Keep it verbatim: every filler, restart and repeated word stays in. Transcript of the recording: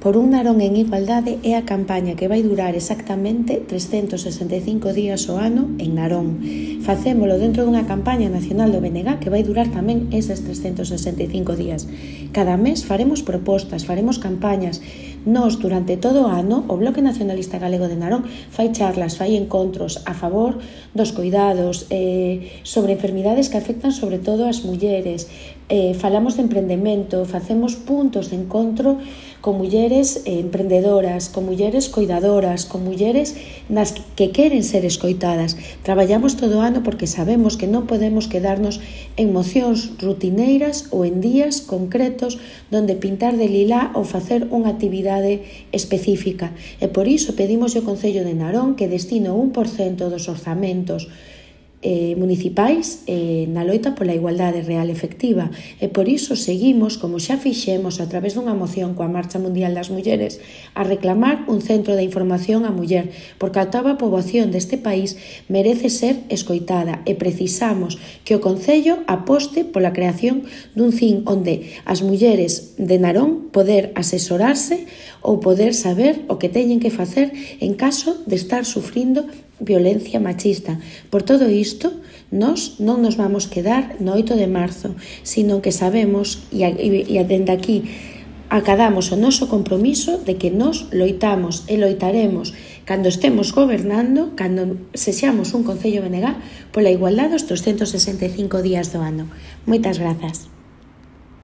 por un Narón en igualdade é a campaña que vai durar exactamente trescentos sesenta e cinco días ao ano en Narón. Facémolo dentro dunha campaña nacional do B N G que vai durar tamén eses trescentos sesenta e cinco días. Cada mes faremos propostas, faremos campañas. Nos, durante todo o ano, o Bloque Nacionalista Galego de Narón fai charlas, fai encontros a favor dos coidados, eh, sobre enfermidades que afectan sobre todo as mulleres, eh, falamos de emprendemento, facemos puntos de encontro con mulleres eh, emprendedoras, con mulleres coidadoras, con mulleres nas que queren ser escoitadas. Traballamos todo o ano porque sabemos que non podemos quedarnos en mocións rutineiras ou en días concretos donde pintar de lilá ou facer unha actividade específica. E por iso pedimos ao Concello de Narón que destine o un por cento dos orzamentos Eh, municipais eh, na loita pola igualdade real efectiva e por iso seguimos, como xa fixemos a través dunha moción coa Marcha Mundial das Mulleres, a reclamar un centro de información á muller, porque a toda a poboación deste país merece ser escoitada e precisamos que o Concello aposte pola creación dun C I N onde as mulleres de Narón poder asesorarse ou poder saber o que teñen que facer en caso de estar sufrindo violencia machista. Por todo isto, nós non nos vamos quedar no oito de marzo, sino que sabemos e, e, e dende aquí acadamos o noso compromiso de que nós loitamos e loitaremos cando estemos gobernando, cando sexamos un Concello B N G pola igualdade os trescentos sesenta e cinco días do ano. Moitas grazas.